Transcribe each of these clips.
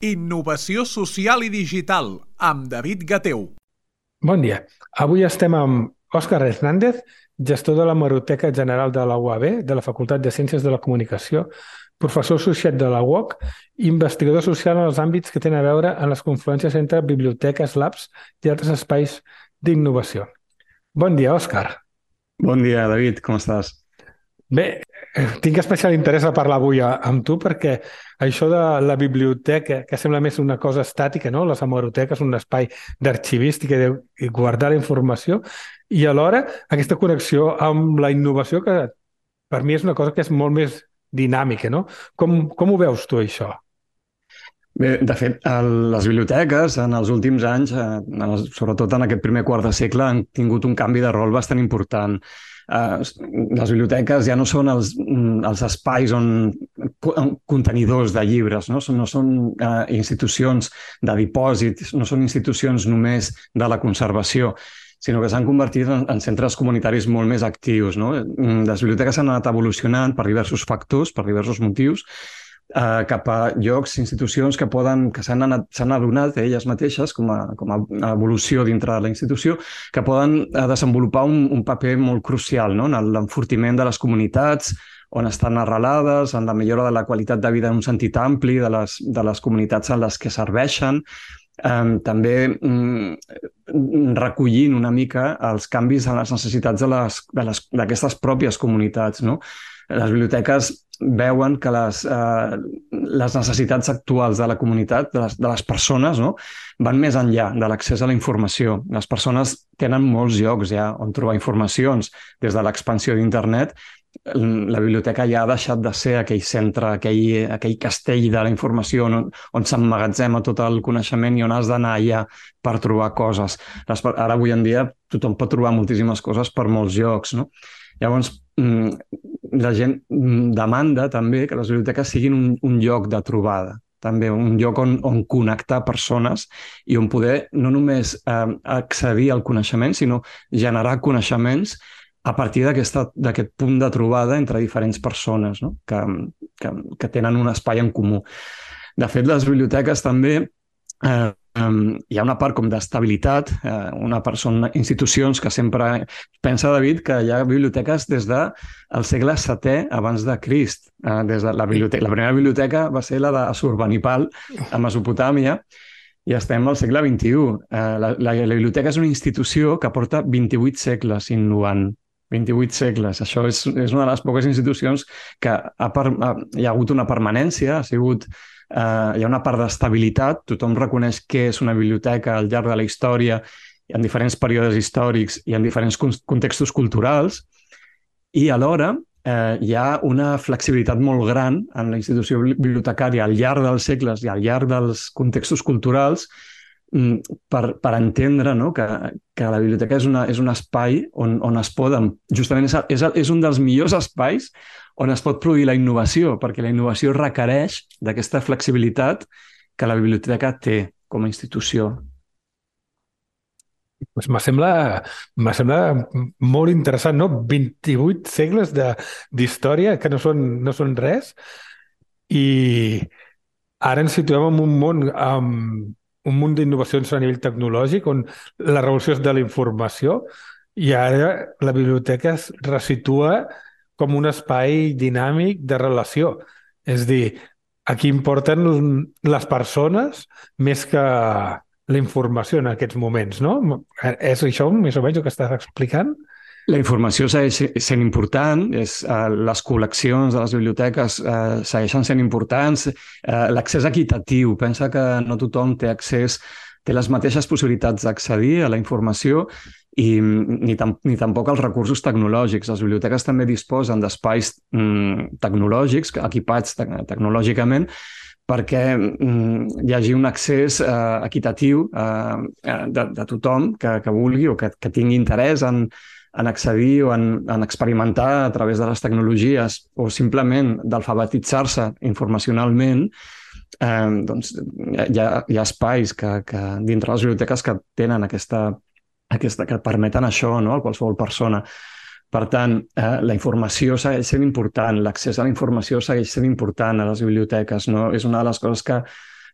Innovació social i digital, amb David Gateu. Bon dia. Avui estem amb Òscar Hernández, gestor de l'Hemeroteca General de la UAB, de la Facultat de Ciències de la Comunicació, professor associat de la UOC i investigador social en els àmbits que tenen a veure en les confluències entre biblioteques, labs i altres espais d'innovació. Bon dia, Òscar. Bon dia, David, com estàs? Bé, tinc especial interès a parlar avui amb tu perquè això de la biblioteca, que sembla més una cosa estàtica, no? Les hemeroteques, un espai d'arxivística i guardar la informació, i alhora aquesta connexió amb la innovació que per mi és una cosa que és molt més dinàmica, no? Com ho veus tu, això? Bé, de fet, les biblioteques en els últims anys, sobretot en aquest primer quart de segle, han tingut un canvi de rol bastant important. Les biblioteques ja no són els espais contenidors de llibres, no són institucions de dipòsit, no són institucions només de la conservació, sinó que s'han convertit en centres comunitaris molt més actius, no? Les biblioteques han anat evolucionant per diversos factors, per diversos motius, cap a llocs, institucions que s'han adonat elles mateixes com a evolució dintre de la institució, que poden desenvolupar un paper molt crucial, no? En l'enfortiment de les comunitats on estan arrelades, en la millora de la qualitat de vida en un sentit ampli de les comunitats en les que serveixen, també recollint una mica els canvis en les necessitats d'aquestes pròpies comunitats, no? Les biblioteques veuen que les necessitats actuals de la comunitat, de les persones, no? Van més enllà de l'accés a la informació. Les persones tenen molts llocs ja on trobar informacions. Des de l'expansió d'internet, la biblioteca ja ha deixat de ser aquell centre, aquell castell de la informació on s'emmagatzema tot el coneixement i on has d'anar allà per trobar coses. Ara, avui en dia, tothom pot trobar moltíssimes coses per molts llocs, no? Llavors, la gent demanda també que les biblioteques siguin un lloc de trobada, també un lloc on connectar persones i on poder no només accedir al coneixement, sinó generar coneixements a partir d'aquest punt de trobada entre diferents persones, no? que tenen un espai en comú. De fet, les biblioteques també hi ha una part com d'estabilitat, són institucions que sempre... Pensa, David, que hi ha biblioteques des del segle VII abans de Crist. La primera biblioteca va ser la d'Assurbanipal, a Mesopotàmia, i estem al segle XXI. La biblioteca és una institució que porta 28 segles innovant. 28 segles. Això és una de les poques institucions que hi ha hagut una permanència, hi ha una part d'estabilitat, tothom reconeix què és una biblioteca al llarg de la història, en diferents períodes històrics i en diferents contextos culturals, i alhora hi ha una flexibilitat molt gran en la institució bibliotecària al llarg dels segles i al llarg dels contextos culturals per entendre, no? que la biblioteca és un espai on es poden... Justament és un dels millors espais on es pot produir la innovació, perquè la innovació requereix d'aquesta flexibilitat que la biblioteca té com a institució. Pues me sembla molt interessant, no? 28 segles d'història que no són res, i ara ens situem en un munt d'innovacions a nivell tecnològic on la revolució és de la informació, i ara la biblioteca es resitua com un espai dinàmic de relació. És a dir, aquí importen les persones més que la informació en aquests moments, no? És això més o menys el que estàs explicant? La informació segueix sent important, les col·leccions de les biblioteques segueixen sent importants, l'accés equitatiu, pensa que no tothom té les mateixes possibilitats d'accedir a la informació i ni tampoc als recursos tecnològics. Les biblioteques també disposen d'espais tecnològics, equipats tecnològicament, perquè hi hagi un accés equitatiu de tothom que vulgui o que tingui interès en accedir o en experimentar a través de les tecnologies o simplement d'alfabetitzar-se informacionalment. Doncs hi ha espais que dintre les biblioteques que tenen que permeten això, no? A qualsevol persona. Per tant, la informació segueix sent important, l'accés a la informació segueix sent important a les biblioteques, no? És una de les coses que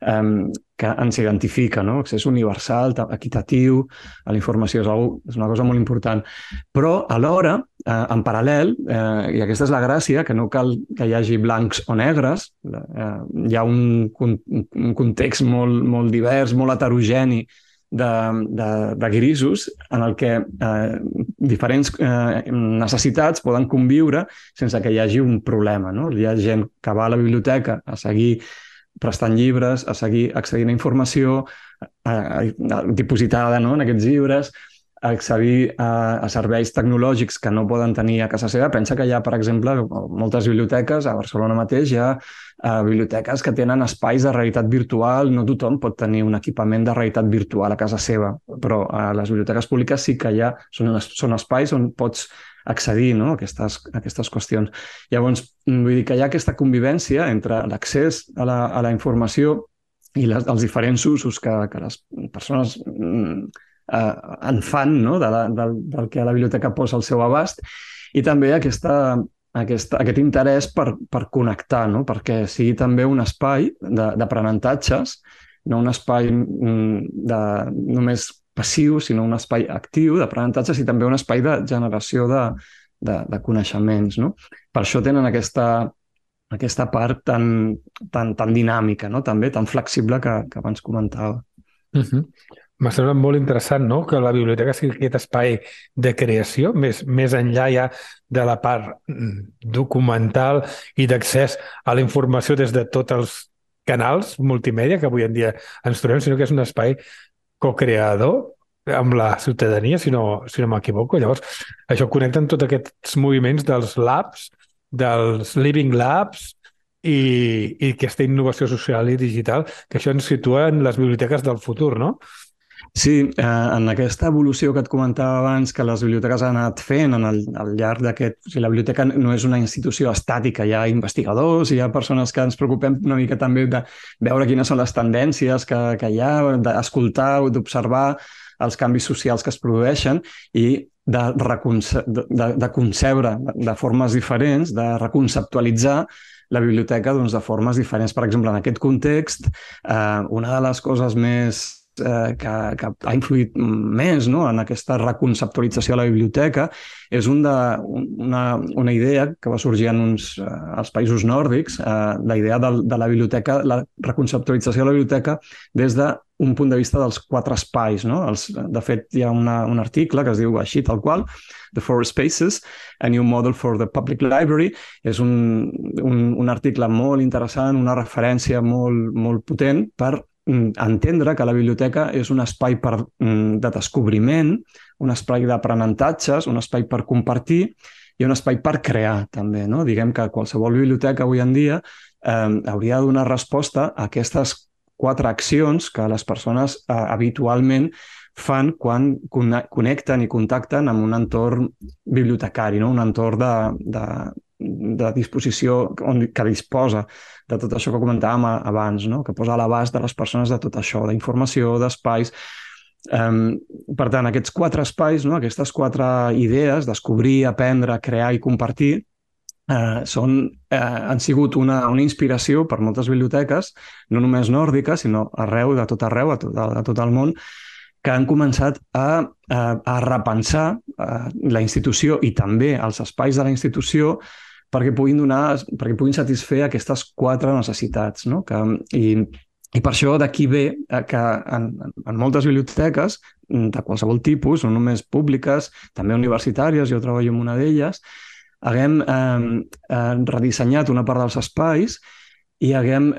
que ens identifica, no? Accés universal, equitatiu, a la informació és una cosa molt important. Però alhora, en paral·lel, i aquesta és la gràcia, que no cal que hi hagi blancs o negres, hi ha un context molt divers, molt heterogeni de grisos en el que diferents necessitats poden conviure sense que hi hagi un problema, no? Hi ha gent que va a la biblioteca a seguir prestant llibres, a seguir accedint a informació dipositada, no?, en aquests llibres, a accedir a serveis tecnològics que no poden tenir a casa seva. Pensa que hi ha, per exemple, moltes biblioteques, a Barcelona mateix hi ha biblioteques que tenen espais de realitat virtual. No tothom pot tenir un equipament de realitat virtual a casa seva, però a les biblioteques públiques sí que hi ha, són espais on pots accedir, no?, a aquestes qüestions. Llavors, vull dir que hi ha aquesta convivència entre l'accés a la informació i els diferents usos que les persones en fan, no?, del que la biblioteca posa al seu abast, i també aquest interès per connectar, no?, perquè sigui també un espai d'aprenentatges, no un espai només passiu, sinó un espai actiu d'aprenentatges i també un espai de generació de coneixements, no? Per això tenen aquesta part tan dinàmica, no?, també tan flexible que abans comentava. M'ha semblat molt interessant, no?, que la biblioteca sigui aquest espai de creació, més enllà ja de la part documental i d'accés a la informació des de tots els canals multimèdia que avui en dia ens trobem, sinó que és un espai co-creador amb la ciutadania, si no m'equivoco. Llavors, això connecta amb tots aquests moviments dels labs, dels living labs i aquesta innovació social i digital, que això ens situa en les biblioteques del futur, no? Sí, en aquesta evolució que et comentava abans, que les biblioteques han anat fent al llarg d'aquest... O sigui, la biblioteca no és una institució estàtica, hi ha investigadors, hi ha persones que ens preocupem una mica també de veure quines són les tendències que hi ha, d'escoltar o d'observar els canvis socials que es produeixen i de concebre de formes diferents, de reconceptualitzar la biblioteca de formes diferents. Per exemple, en aquest context, una de les coses més que ha influït més, no?, en aquesta reconceptualització de la biblioteca és una idea que va sorgir als països nòrdics, la idea de la biblioteca, la reconceptualització de la biblioteca des d'un punt de vista dels 4 espais, no? De fet, hi ha un article que es diu així, tal qual, The Four Spaces, a New Model for the Public Library. És un article molt interessant, una referència molt potent per entendre que la biblioteca és un espai de descobriment, un espai d'aprenentatges, un espai per compartir i un espai per crear, també, no? Diguem que qualsevol biblioteca avui en dia hauria de donar resposta a aquestes 4 accions que les persones habitualment fan quan connecten i contacten amb un entorn bibliotecari, no? Un entorn de disposició que disposa de tot això que comentàvem abans, no?, que posa a l'abast de les persones de tot això, d'informació, d'espais. Per tant, aquests 4 espais, no?, aquestes 4 idees, descobrir, aprendre, crear i compartir, han sigut una inspiració per moltes biblioteques, no només nòrdiques, sinó arreu, de tot arreu, a tot el món, que han començat a repensar la institució i també els espais de la institució perquè puguin satisfer aquestes 4 necessitats, no? I per això d'aquí ve que en moltes biblioteques de qualsevol tipus, no només públiques, també universitàries, jo treballo en una d'elles, haguem redissenyat una part dels espais i haguem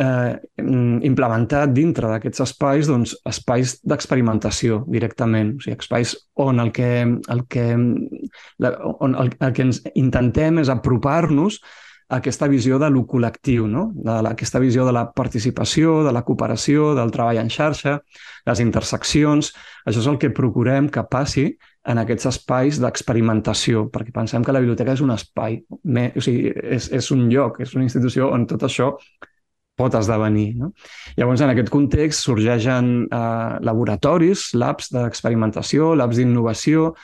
implementat dintre d'aquests espais espais d'experimentació directament, o sigui, espais on el que ens intentem és apropar-nos a aquesta visió de lo col·lectiu, no? Aquesta visió de la participació, de la cooperació, del treball en xarxa, les interseccions. Això és el que procurem que passi en aquests espais d'experimentació, perquè pensem que la biblioteca és un espai, o sigui, és un lloc, és una institució on tot això pot esdevenir, no? Llavors, en aquest context sorgeixen laboratoris, labs d'experimentació, labs d'innovació,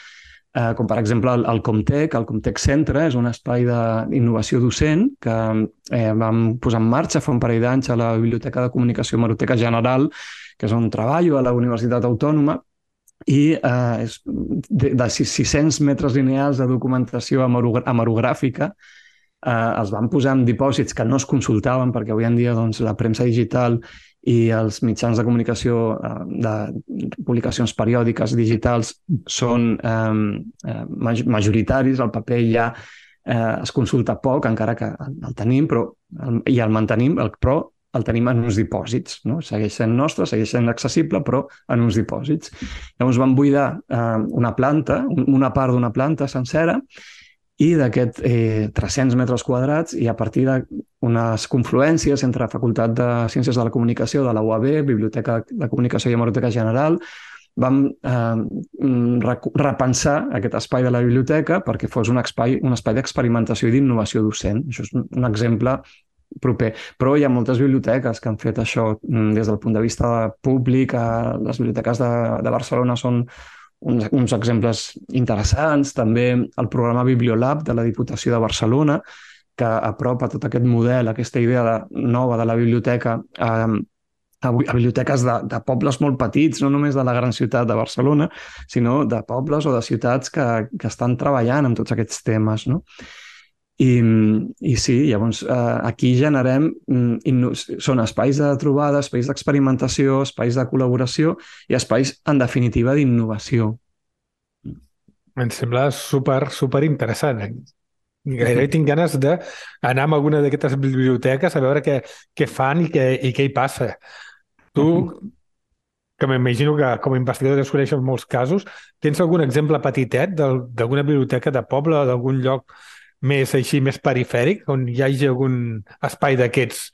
com per exemple el Comtec. El Comtec Centre és un espai d'innovació docent que vam posar en marxa fa un parell d'anys a la Biblioteca de Comunicació Hemeroteca General, que és on treballo, a la Universitat Autònoma, i és de 600 metres lineals de documentació hemerogràfica. Els van posar en dipòsits que no es consultaven, perquè avui en dia la premsa digital i els mitjans de comunicació de publicacions periòdiques digitals són majoritaris. El paper ja es consulta poc, encara que el tenim, i el mantenim, però el tenim en uns dipòsits, no? Segueix sent nostre, segueix sent accessible, però en uns dipòsits. Llavors van buidar una part d'una planta sencera, i d'aquests 300 metres quadrats, i a partir d'unes confluències entre Facultat de Ciències de la Comunicació de la UAB, Biblioteca de Comunicació i Hemeroteca General, vam repensar aquest espai de la biblioteca perquè fos un espai d'experimentació i d'innovació docent. Això és un exemple proper. Però hi ha moltes biblioteques que han fet això des del punt de vista públic. Les biblioteques de Barcelona són uns exemples interessants. També el programa Bibliolab de la Diputació de Barcelona, que apropa tot aquest model, aquesta idea nova de la biblioteca a biblioteques de pobles molt petits, no només de la gran ciutat de Barcelona, sinó de pobles o de ciutats que estan treballant amb tots aquests temes, no? I sí, llavors aquí generem, són espais de trobada, espais d'experimentació, espais de col·laboració i espais, en definitiva, d'innovació. Em sembla super interessant. Gairebé tinc ganes d'anar a alguna d'aquestes biblioteques a veure què fan i què hi passa. Tu, que m'imagino que com a investigador desconeixes molts casos, tens algun exemple petitet d'alguna biblioteca de poble o d'algun lloc més perifèric, on hi hagi algun espai d'aquests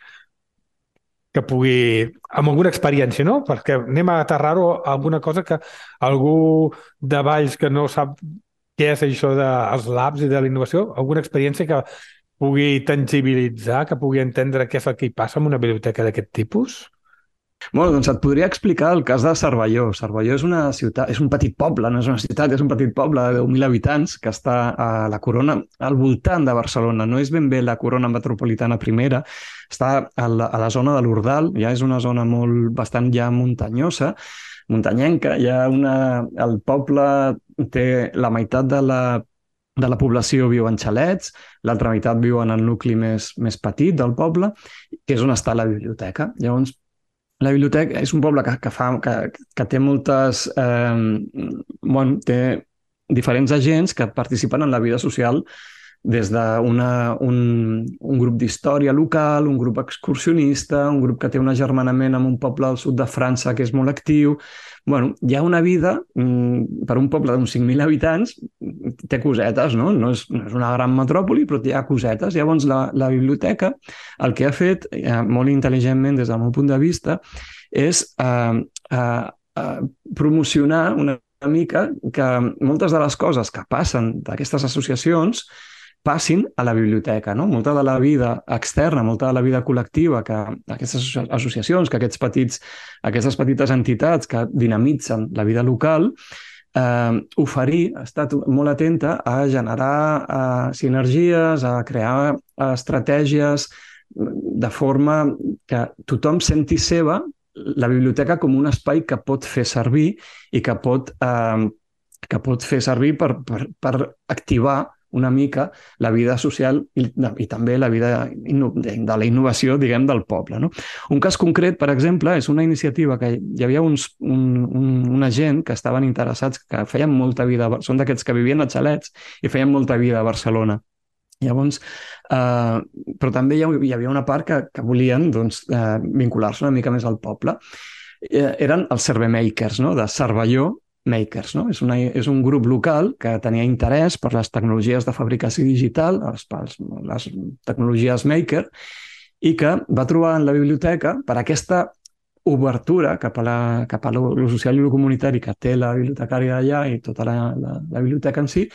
que pugui, amb alguna experiència, no? Perquè anem a aterrar-ho a alguna cosa que algú de Valls que no sap què és això dels labs i de la innovació, alguna experiència que pugui tangibilitzar, que pugui entendre què és el que hi passa en una biblioteca d'aquest tipus? Bueno, doncs et podria explicar el cas de Cervelló. Cervelló és una ciutat, és un petit poble, no és una ciutat, és un petit poble de 10.000 habitants que està a la corona, al voltant de Barcelona. No és ben bé la corona metropolitana primera, està a la zona de l'Ordal, ja és una zona bastant ja muntanyosa, muntanyenca. El poble té la meitat de la població viu en xalets, l'altra meitat viu en el nucli més petit del poble, que és on està la biblioteca. Llavors, la biblioteca és un poble que té moltes... té diferents agents que participen en la vida social, des d'un grup d'història local, un grup excursionista, un grup que té un agermanament amb un poble al sud de França que és molt actiu. Bueno, hi ha una vida, per un poble d'uns 5.000 habitants, té cosetes, no? No és una gran metròpoli, però hi ha cosetes. Llavors, la biblioteca, el que ha fet, molt intel·ligentment des del meu punt de vista, és promocionar una mica que moltes de les coses que passen d'aquestes associacions passin a la biblioteca, no? Molta de la vida externa, molta de la vida col·lectiva que aquestes associacions, que aquestes petites entitats que dinamitzen la vida local, ha estat molt atenta a generar sinergies, a crear estratègies de forma que tothom senti seva la biblioteca com un espai que pot fer servir i que pot fer servir per activar una mica la vida social i també la vida de la innovació, diguem, del poble, no? Un cas concret, per exemple, és una iniciativa que hi havia una gent que estaven interessats, que feien molta vida, són d'aquests que vivien a xalets i feien molta vida a Barcelona. Llavors, però també hi havia una part que volien vincular-se una mica més al poble. Eren els Cervemakers, no? De Cervelló Makers, no? És un grup local que tenia interès per les tecnologies de fabricació digital, les tecnologies maker, i que va trobar en la biblioteca, per aquesta obertura cap a lo social i lo comunitari que té la bibliotecària d'allà i tota la biblioteca en si,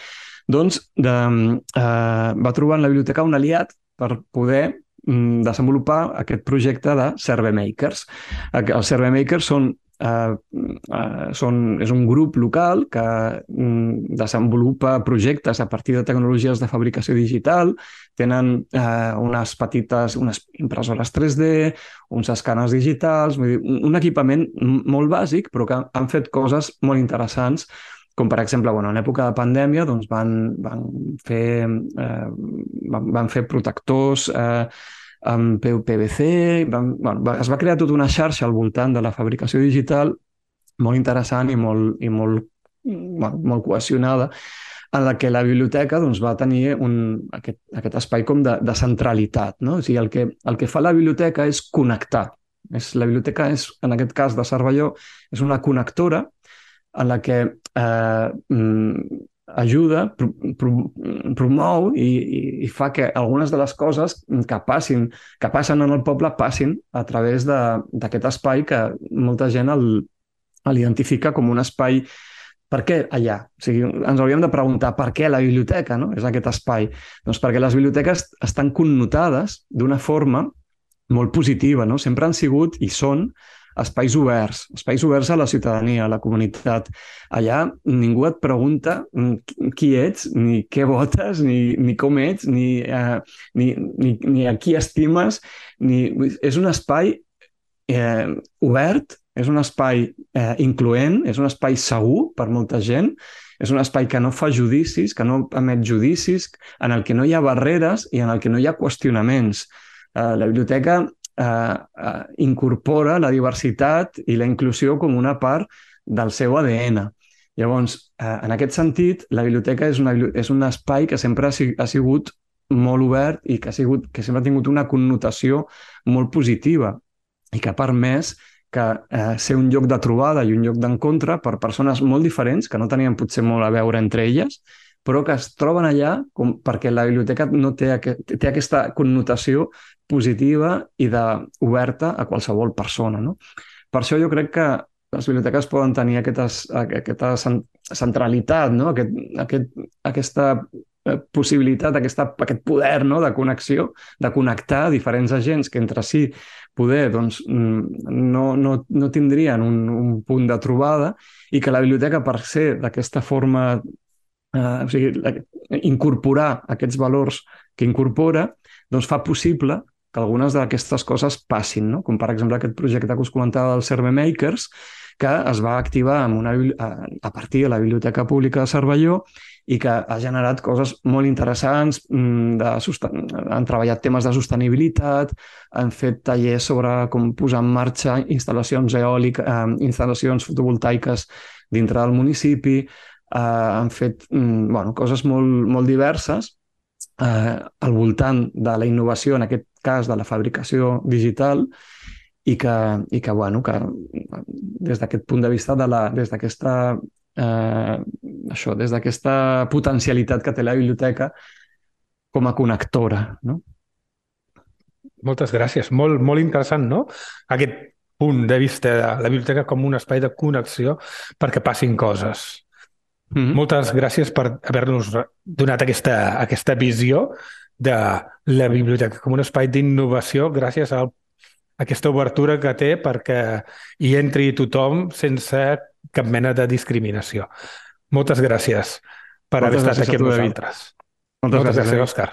doncs va trobar en la biblioteca un aliat per poder desenvolupar aquest projecte de Cervemakers. Els Cervemakers són és un grup local que desenvolupa projectes a partir de tecnologies de fabricació digital, tenen unes impressores 3D, uns escàners digitals, vull dir, un equipament molt bàsic, però que han fet coses molt interessants, com per exemple, en època de pandèmia doncs van fer protectors amb PVC, es va crear tota una xarxa al voltant de la fabricació digital molt interessant i molt cohesionada, en la que la biblioteca doncs, va tenir aquest espai com de centralitat. No? O sigui, el que fa la biblioteca és connectar. La biblioteca, en aquest cas de Cervelló, és una connectora en la que ajuda, promou i fa que algunes de les coses que passen en el poble passin a través d'aquest espai que molta gent l'identifica com un espai. Per què allà? O sigui, ens hauríem de preguntar per què la biblioteca, no? És aquest espai. Doncs perquè les biblioteques estan connotades d'una forma molt positiva, no? Sempre han sigut i són espais oberts a la ciutadania, a la comunitat. Allà ningú et pregunta qui ets, ni què votes, ni com ets, ni a qui estimes. És un espai obert, és un espai incloent, és un espai segur per molta gent, és un espai que no fa judicis, que no emet judicis, en el que no hi ha barreres i en el que no hi ha qüestionaments. La biblioteca incorpora la diversitat i la inclusió com una part del seu ADN. Llavors, en aquest sentit, la biblioteca és un espai que sempre ha sigut molt obert i que sempre ha tingut una connotació molt positiva i que ha permès que ser un lloc de trobada i un lloc d'encontre per persones molt diferents, que no tenien potser molt a veure entre elles, però que es troben allà perquè la biblioteca té aquesta connotació positiva i oberta a qualsevol persona. No? Per això jo crec que les biblioteques poden tenir aquesta centralitat, no? Aquesta possibilitat, aquest poder, no? De connexió, de connectar diferents agents que entre si poder no tindrien un punt de trobada i que la biblioteca, per ser d'aquesta forma, o sigui, incorporar aquests valors que incorpora, doncs fa possible que algunes d'aquestes coses passin, no? Com per exemple aquest projecte que us comentava del Serve Makers, que es va activar a partir de la Biblioteca Pública de Cervelló i que ha generat coses molt interessants. Han treballat temes de sostenibilitat, han fet tallers sobre com posar en marxa instal·lacions eòliques, instal·lacions fotovoltaiques dintre del municipi, han fet coses molt diverses al voltant de la innovació, en aquest cas de la fabricació digital, i que des d'aquest punt de vista, des d'aquesta potencialitat que té la biblioteca com a connectora, no? Moltes gràcies. Molt, molt interessant, no? Aquest punt de vista de la biblioteca com un espai de connexió perquè passin coses. Moltes gràcies per haver-nos donat aquesta visió de la biblioteca com un espai d'innovació gràcies a aquesta obertura que té perquè hi entri tothom sense cap mena de discriminació. Moltes gràcies per haver estat aquí amb nosaltres. Moltes gràcies, Òscar.